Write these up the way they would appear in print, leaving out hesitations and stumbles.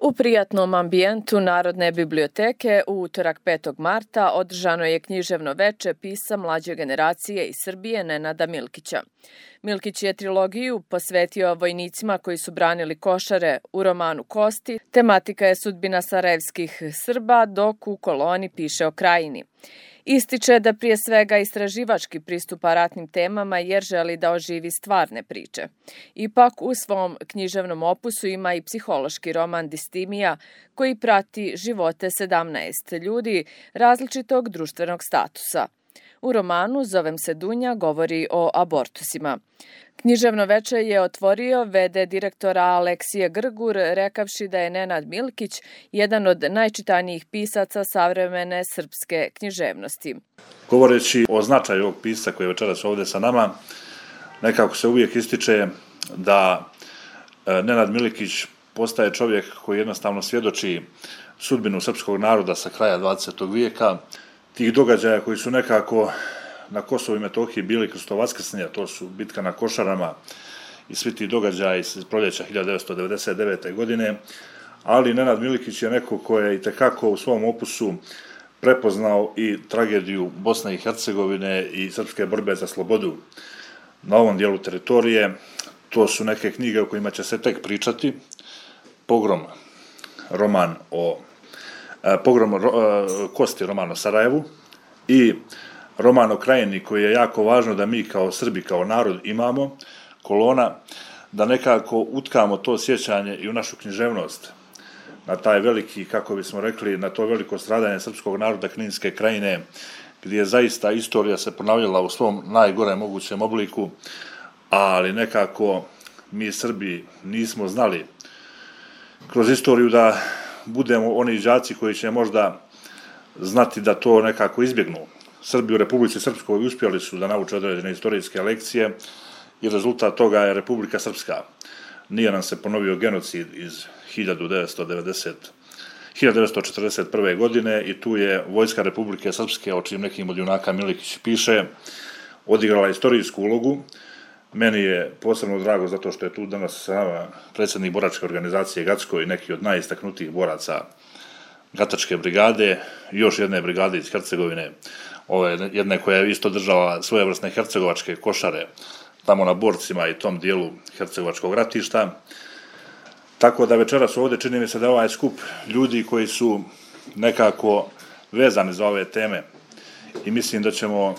U prijatnom ambijentu Narodne biblioteke u utorak 5. marta održano je književno veče pisa mlađe generacije iz Srbije Nenada Milkića. Milkić je trilogiju posvetio vojnicima koji su branili Košare u romanu Kosti. Tematika je sudbina sarajevskih Srba, dok u koloni piše o Krajini. Ističe da prije svega istraživački pristupa ratnim temama jer želi da oživi stvarne priče. Ipak u svom književnom opusu ima i psihološki roman Distimija koji prati živote 17 ljudi različitog društvenog statusa. U romanu Zovem se Dunja govori o abortusima. Književno veče je otvorio v.d. direktora Aleksije Grgur, rekavši da je Nenad Milkić jedan od najčitanijih pisaca savremene srpske književnosti. Govoreći o značaju ovog pisca koji je večeras ovdje sa nama, nekako se uvijek ističe da Nenad Milkić postaje čovjek koji jednostavno svjedoči sudbinu srpskog naroda sa kraja 20. vijeka, tih događaja koji su nekako na Kosovu i Metohiji bili kroz to vaskrsnje, to su bitka na Košarama i svi ti događaji iz proljeća 1999. godine, ali Nenad Milkić je neko ko je itekako u svom opusu prepoznao i tragediju Bosne i Hercegovine i srpske borbe za slobodu na ovom dijelu teritorije. To su neke knjige o kojima će se tek pričati. Pogrom Kosti, roman o Sarajevu, i roman o Krajini koji je jako važno da mi kao Srbi, kao narod imamo, Kolona, da nekako utkamo to sjećanje i u našu književnost na taj veliki, kako bismo rekli, na to veliko stradanje srpskog naroda Kninske Krajine, gdje je zaista istorija se ponavljala u svom najgore mogućem obliku, ali nekako mi Srbi nismo znali kroz istoriju da budemo oni đaci koji će možda znati da to nekako izbjegnu. Srbi u Republici Srpskoj uspjeli su da nauče određene istorijske lekcije i rezultat toga je Republika Srpska. Nije nam se ponovio genocid iz 1941. godine i tu je Vojska Republike Srpske, o čim nekim od junaka Milkić piše, odigrala istorijsku ulogu. Meni je posebno drago zato što je tu danas sa nama predsjednik boračke organizacije Gacko i neki od najistaknutijih boraca Gatačke brigade, još jedne brigade iz Hercegovine, jedne koja je isto držala svojevrsne hercegovačke košare tamo na Borcima i tom dijelu hercegovačkog ratišta. Tako da večeras ovdje čini mi se da je ovaj skup ljudi koji su nekako vezani za ove teme i mislim da ćemo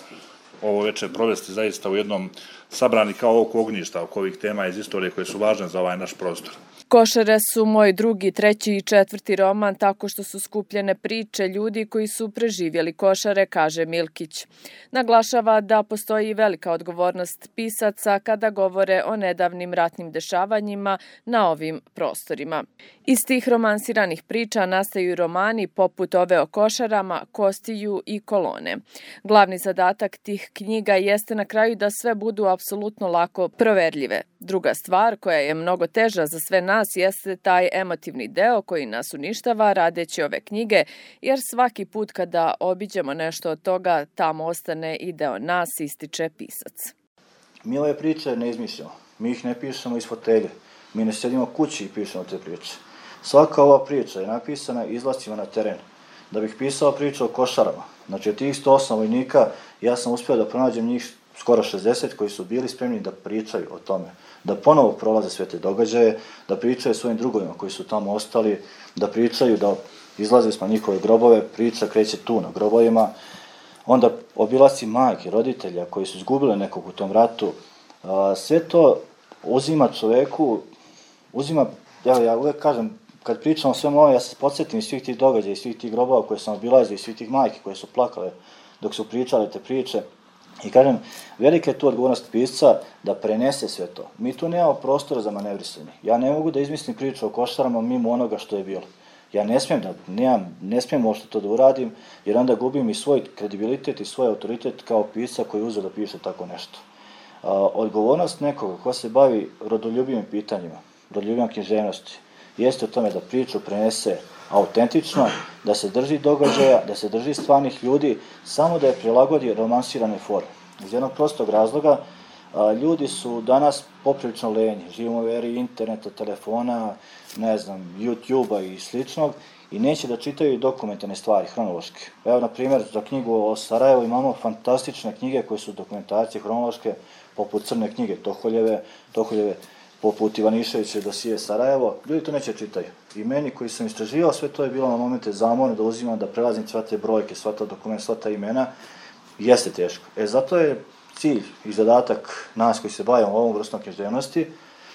ovo večer provesti zaista u jednom sabrani kao oko ognjišta, oko ovih tema iz istorije koje su važne za ovaj naš prostor. Košare su moj drugi, treći i četvrti roman tako što su skupljene priče ljudi koji su preživjeli Košare, kaže Milkić. Naglašava da postoji velika odgovornost pisaca kada govore o nedavnim ratnim dešavanjima na ovim prostorima. Iz tih romansiranih priča nastaju romani poput ove o Košarama, Kostiju i Kolone. Glavni zadatak tih knjiga jeste na kraju da sve budu apsolutno lako proverljive. Druga stvar koja je mnogo teža za sve nas jeste taj emotivni deo koji nas uništava radeći ove knjige, jer svaki put kada obiđemo nešto od toga, tamo ostane i deo nas, ističe pisac. Mi ove priče ne izmišljamo, mi ih ne pišemo iz fotelje, mi ne sedimo kući i pišemo te priče. Svaka ova priča je napisana izlascima na teren. Da bih pisao priču o Košarama, znači od tih 108 vojnika, ja sam uspio da pronađem njih skoro 60 koji su bili spremni da pričaju o tome, da ponovo prolaze sve te događaje, da pričaju svojim drugovima koji su tamo ostali, da pričaju, da izlaze smo njihove grobove, priča kreće tu na grobovima, onda obilasci majke, roditelja koji su izgubili nekog u tom ratu, sve to uzima čoveku, ja uvek kažem, kad pričam o svemu ovo, ja se podsjetim iz svih tih događaja, iz svih tih grobova koje sam obilazio, iz svih tih majki koje su plakale dok su pričale te priče. I kažem, velika je tu odgovornost pisca da prenese sve to. Mi tu nemamo prostora za manevrisanje. Ja ne mogu da izmislim priču o Košarama mimo onoga što je bilo. Ja ne smijem uopšte to da uradim, jer onda gubim i svoj kredibilitet i svoj autoritet kao pisca koji je uzeo da piše tako nešto. Odgovornost nekoga ko se bavi rodoljubivim pitanjima, rodoljubivim književnosti, jeste o tome da priču prenese autentično, da se drži događaja, da se drži stvarnih ljudi, samo da je prilagodi romansiranoj formi. Iz jednog prostog razloga, Ljudi su danas poprilično lenji, živimo u eri interneta, telefona, ne znam, YouTube-a i sličnog i neće da čitaju dokumentarne stvari, hronološke. Evo, na primjer, za knjigu o Sarajevu imamo fantastične knjige koje su dokumentacije hronološke, poput Crne knjige Toholjeve, poput Ivaniševića dosije Sarajevo. Ljudi to neće čitaju. I meni koji sam istraživao sve to je bilo na momente zamorno da uzimam, da prelazim sva te brojke, sva ta dokumenta, sva ta imena. Jeste teško. Zato je cilj i zadatak nas koji se bavimo ovom vrstom književnosti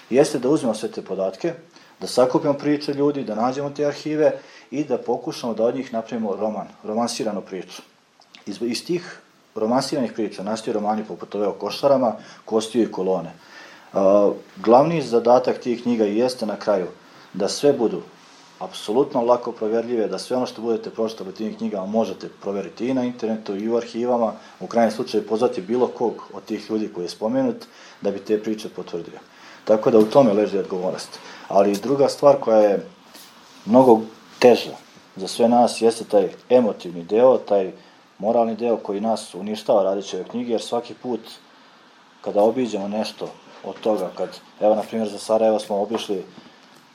jeste da uzmemo sve te podatke, da sakupimo priče ljudi, da nađemo te arhive i da pokušamo da od njih napravimo roman, romansiranu priču. Iz tih romansiranih priča nastaju romani poput ove o Košarama, Kostiju i Kolone. Glavni zadatak tih knjiga jeste na kraju da sve budu apsolutno lako proverljive, da sve ono što budete pročitali u tim knjigama možete proveriti i na internetu i u arhivama, u krajnjem slučaju pozvati bilo kog od tih ljudi koji je spomenut da bi te priče potvrdio. Tako da u tome leži odgovornost. Ali druga stvar koja je mnogo teža za sve nas jeste taj emotivni deo, taj moralni deo koji nas uništava radeći ove knjige, jer svaki put kada obiđemo nešto od toga, evo na primjer za Sarajevo smo obišli,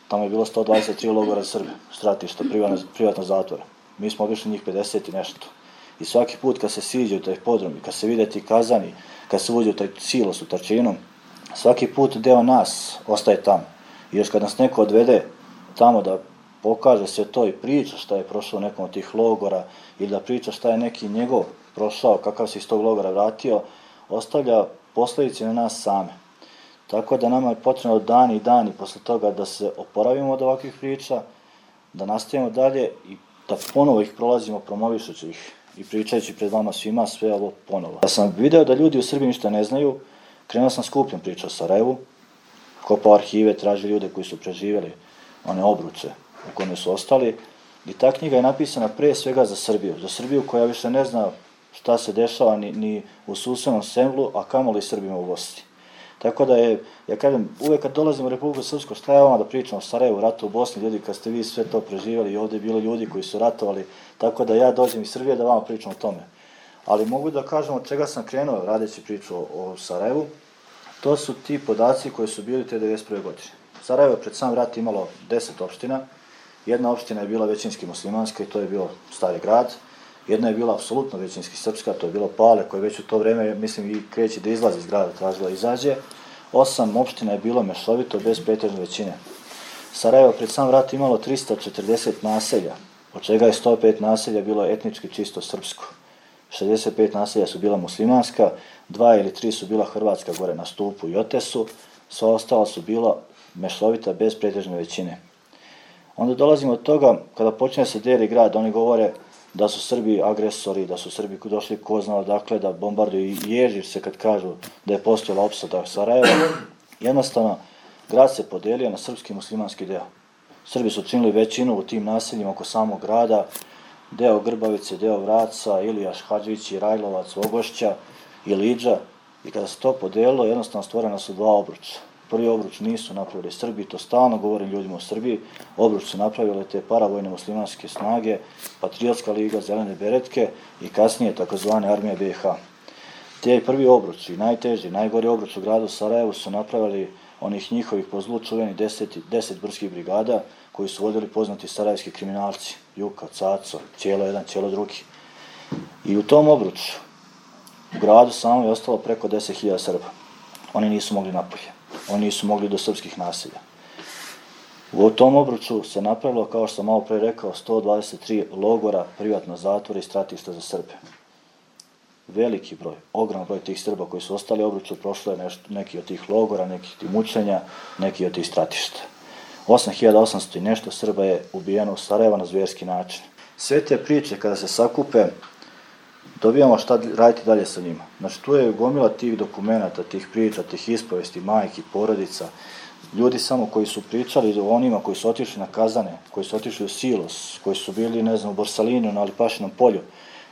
tamo je bilo 123 logora za Srbe, stratišta, privatna zatvora. Mi smo obišli njih 50 i nešto. I svaki put kad se siđe u taj podrum, kad se vide ti kazani, kad se uđe u taj silos u Tarčinu, svaki put deo nas ostaje tamo. I još kad nas neko odvede tamo da pokaže sve to i priča šta je prošao u nekom od tih logora ili da priča šta je neki njegov prošao, kakav se iz tog logora vratio, ostavlja posledice na nas same. Tako da nama je potrebno dani i dani posle toga da se oporavimo od ovakvih priča, da nastavimo dalje i da ponovo ih prolazimo promovišući ih i pričajući pred vama svima sve ovo ponovo. Da sam video da ljudi u Srbiji ništa ne znaju, krenuo sam skupljom priča o Sarajevu, kopao arhive, tražio ljude koji su preživjeli one obruče u kome su ostali i ta knjiga je napisana pre svega za Srbiju koja više ne zna šta se dešava ni u susednom Semblu, a kamoli Srbima u Bosni. Tako da je, ja kažem, uvek kad dolazimo u Republiku Srpsku, šta je vama da pričamo o Sarajevu, ratu u Bosni, ljudi, kad ste vi sve to preživjeli i ovdje je bilo ljudi koji su ratovali, tako da ja dođem iz Srbije da vama pričam o tome. Ali mogu da kažem od čega sam krenuo radeći priču o Sarajevu, to su ti podaci koji su bili te 1991. godine. Sarajevo je pred sam rat imalo 10 opština, jedna opština je bila većinski muslimanska i to je bio Stari grad, jedna je bila apsolutno većinski srpska, to je bilo Pale, koje već u to vreme, mislim, i kreće da izlazi iz grada, tražila izađe. 8 opština je bilo mešovito, bez pretežne većine. Sarajevo pred sam rat imalo 340 naselja, od čega je 105 naselja bilo etnički čisto srpsko. 65 naselja su bila muslimanska, 2 ili 3 su bila hrvatska gore na Stupu i Otesu, sva ostala su bila mešovita, bez pretežne većine. Onda dolazimo od toga, kada počne se deli grad, oni govore da su Srbi agresori, da su Srbi došli ko zna odakle da bombarduju i ježi se kad kažu da je postojala opsada Sarajeva. Jednostavno, grad se podelio na srpski i muslimanski deo. Srbi su činili većinu u tim naseljima oko samog grada, deo Grbavice, deo Vraca, Ilijaš, Hadžić, Rajlovac, Ogošća i Liđa. I kada se to podelilo, jednostavno stvorena su dva obruča. Prvi obruč nisu napravili Srbi, to stalno govorim ljudima u Srbiji, obruč su napravile te paravojne muslimanske snage, Patriotska liga, Zelene beretke i kasnije takozvane armije BiH. Te prvi obruč i najteži, najgori obruč u gradu Sarajevu su napravili onih njihovih po zlu čuveni 10 brdskih brigada koji su vodili poznati sarajevski kriminalci, Juka, Caco, Ćelo jedan, Ćelo drugi. I u tom obruču, u gradu samo je ostalo preko 10.000 Srba. Oni nisu mogli napolje. Oni nisu mogli do srpskih naselja. U tom obruču se napravilo, kao što sam malo pre rekao, 123 logora, privatna zatvora i stratišta za Srbe. Veliki broj, ogroman broj tih Srba koji su ostali u obruču, prošlo je neki od tih logora, nekih tih mučenja, neki od tih stratišta. 8.800 i nešto Srba je ubijeno u Sarajevo na zverski način. Sve te priče, kada se sakupe, dobijamo šta raditi dalje sa njima. Znači, tu je gomila tih dokumenta, tih priča, tih ispovesti, majki, porodica, ljudi samo koji su pričali o onima koji su otišli na kazane, koji su otišli u silos, koji su bili, ne znam, u Borsalinu, na Alipašinom polju,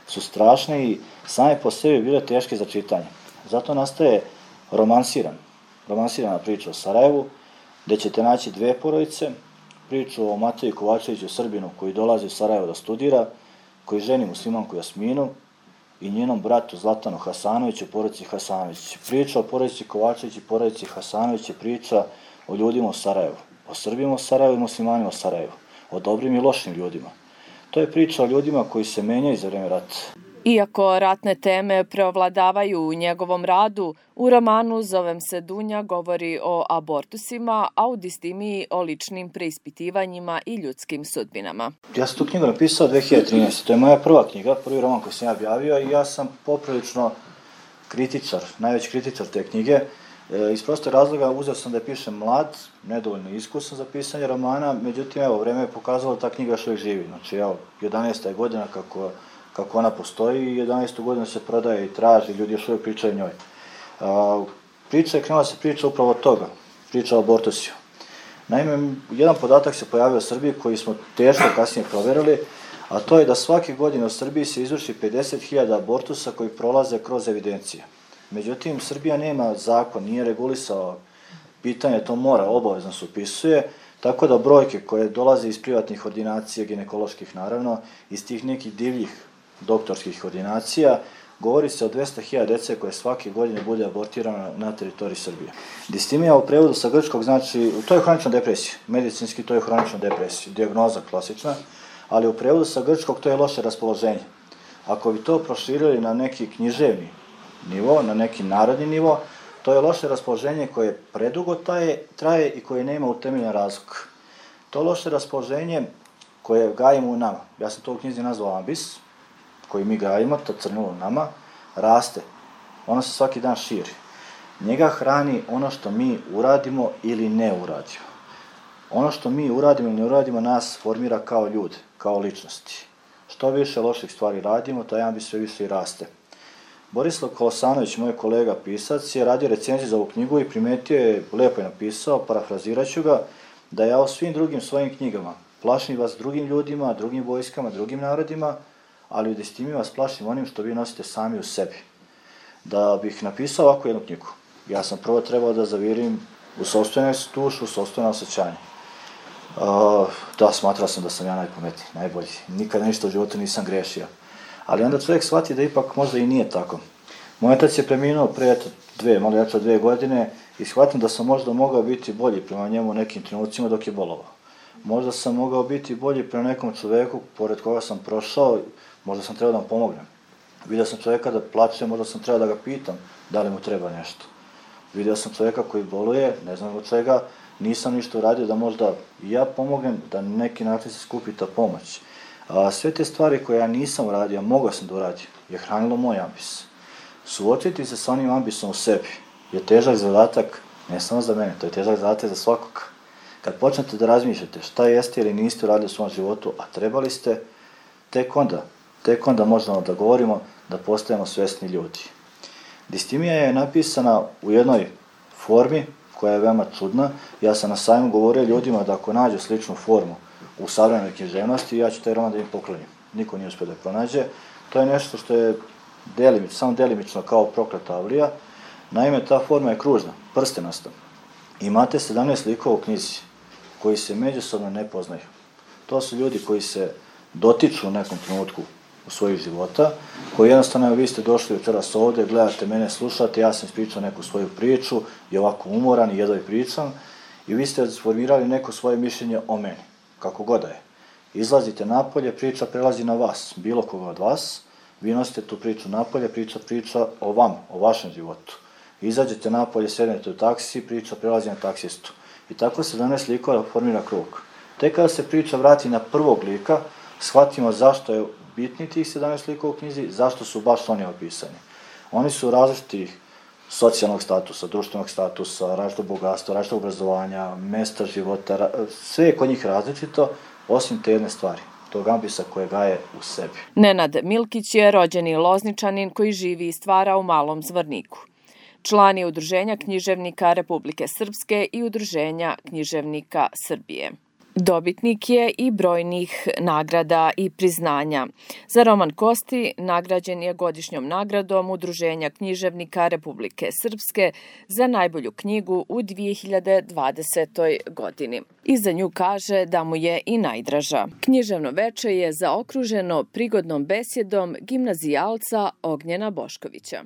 su strašne i same po sebi bile teške za čitanje. Zato nastaje romansirana priča o Sarajevu, gde ćete naći dve porodice, priču o Mateju Kovačeviću, Srbinu, koji dolazi u Sarajevo da studira, koji ženi muslimanku Jasminu, i njenom bratu Zlatanu Hasanoviću, porodici Hasanović. Priča o porodici Kovačević i porodici Hasanović je priča o ljudima u Sarajevu, o Srbima u Sarajevu i muslimanima u Sarajevu, o dobrim i lošim ljudima. To je priča o ljudima koji se menjaju za vreme rata. Iako ratne teme preovladavaju u njegovom radu, u romanu Zovem se Dunja govori o abortusima, a u Distimiji o ličnim preispitivanjima i ljudskim sudbinama. Ja sam tu knjigu napisao 2013. To je moja prva knjiga, prvi roman koji sam ja objavio i ja sam poprilično kritičar, najveći kritičar te knjige. Iz prostog razloga uzeo sam da je pišem mlad, nedovoljno iskusan za pisanje romana, međutim, evo, vreme je pokazalo da ta knjiga još uvijek živi. Znači, evo, 11. je godina kako ona postoji i 11. godinu se prodaje i traži, ljudi još uvijek pričaju o njoj. Krenula se priča upravo od toga, priča o abortusiju. Naime, jedan podatak se pojavio u Srbiji koji smo teško kasnije proverili, a to je da svake godine u Srbiji se izvrši 50.000 abortusa koji prolaze kroz evidencije. Međutim, Srbija nema zakon, nije regulisao pitanje, to mora, obavezno se upisuje, tako da brojke koje dolaze iz privatnih ordinacija, ginekoloških naravno, iz tih nekih divljih doktorskih ordinacija, govori se o 200.000 dece koje svake godine bude abortirano na teritoriji Srbije. Distimija u prevodu sa grčkog znači, to je hronična depresija, medicinski to je hronična depresija, dijagnoza klasična, ali u prevodu sa grčkog to je loše raspoloženje. Ako bi to proširili na neki književni nivo, na neki narodni nivo, to je loše raspoloženje koje predugo traje i koje nema utemeljen razlog. To loše raspoloženje koje gajimo u nama, ja sam to u knjizi nazvao ambis, koji mi gajimo, to crnilo u nama, raste. Ono se svaki dan širi. Njega hrani ono što mi uradimo ili ne uradimo. Ono što mi uradimo ili ne uradimo nas formira kao ljude, kao ličnosti. Što više loših stvari radimo, taj ambis sve više i raste. Borislav Kolosanović, moj kolega pisac, je radio recenziju za ovu knjigu i primetio je, lepo je napisao, parafraziraću ga, da ja u svim drugim svojim knjigama plašim vas drugim ljudima, drugim vojskama, drugim narodima, ali u Distimiji vas plašim onim što vi nosite sami u sebi. Da bih napisao ovakvu jednu knjigu, ja sam prvo trebao da zavirim u sopstvenu dušu, u sopstveno osjećanje. Da, smatrao sam da sam ja najpametniji, najbolji. Nikad ništa u životu nisam grešio. Ali onda čovjek shvati da ipak možda i nije tako. Moj otac je preminuo pre malo jače od 2 godine i shvatim da sam možda mogao biti bolji prema njemu u nekim trenucima dok je bolovao. Možda sam mogao biti bolji prema nekom čoveku pored koga sam prošao, možda sam trebao da mu pomognem. Vidio sam čovjeka da plače, možda sam trebao da ga pitam da li mu treba nešto. Vidio sam čovjeka koji boluje, ne znam od čega, nisam ništa uradio da možda i ja pomognem, da na neki način se skupi ta pomoć. Sve te stvari koje ja nisam uradio, a mogao sam da uradim, je hranilo moj ambis. Suočiti se sa onim ambisom u sebi je težak zadatak, ne samo za mene, to je težak zadatak za svakog. Kad počnete da razmišljate šta jeste ili niste uradili u svom životu, a trebali ste, tek onda možemo da govorimo da postajemo svesni ljudi. Distimija je napisana u jednoj formi koja je veoma čudna. Ja sam na sajmu govorio ljudima da ako nađu sličnu formu u savremenoj književnosti, ja ću taj roman da im poklonim. Niko nije uspio da je pronađe. To je nešto što je samo delimično kao Prokleta avlija. Naime, ta forma je kružna, prstenasta. Imate 17 likova u knjizi koji se međusobno ne poznaju. To su ljudi koji se dotiču u nekom trenutku u svojih života, koji jednostavno, vi ste došli večeras ovde, gledate mene, slušate, ja sam ispričao neku svoju priču i ovako umoran i jedva i pričam i vi ste sformirali neko svoje mišljenje o meni, kako god da je. Izlazite napolje, priča prelazi na vas, bilo koga od vas, vi nosite tu priču napolje, priča o vam, o vašem životu. Izađete napolje, sednete u taksi, priča prelazi na taksistu. I tako se 17 likova formira krug. Tek kada se priča vrati na prvog lika, shvatimo zašto je bitni tih 17 likova u knjizi, zašto su baš oni opisani. Oni su različitih socijalnog statusa, društvenog statusa, različitog bogatstva, različitog obrazovanja, mesta života, sve je kod njih različito, osim te jedne stvari, tog ambisa koje gaje u sebi. Nenad Milkić je rođeni Lozničanin koji živi i stvara u Malom Zvorniku. Član je Udruženja književnika Republike Srpske i Udruženja književnika Srbije. Dobitnik je i brojnih nagrada i priznanja. Za roman Kosti nagrađen je godišnjom nagradom Udruženja književnika Republike Srpske za najbolju knjigu u 2020. godini. I za nju kaže da mu je i najdraža. Književno veče je zaokruženo prigodnom besjedom gimnazijalca Ognjena Boškovića.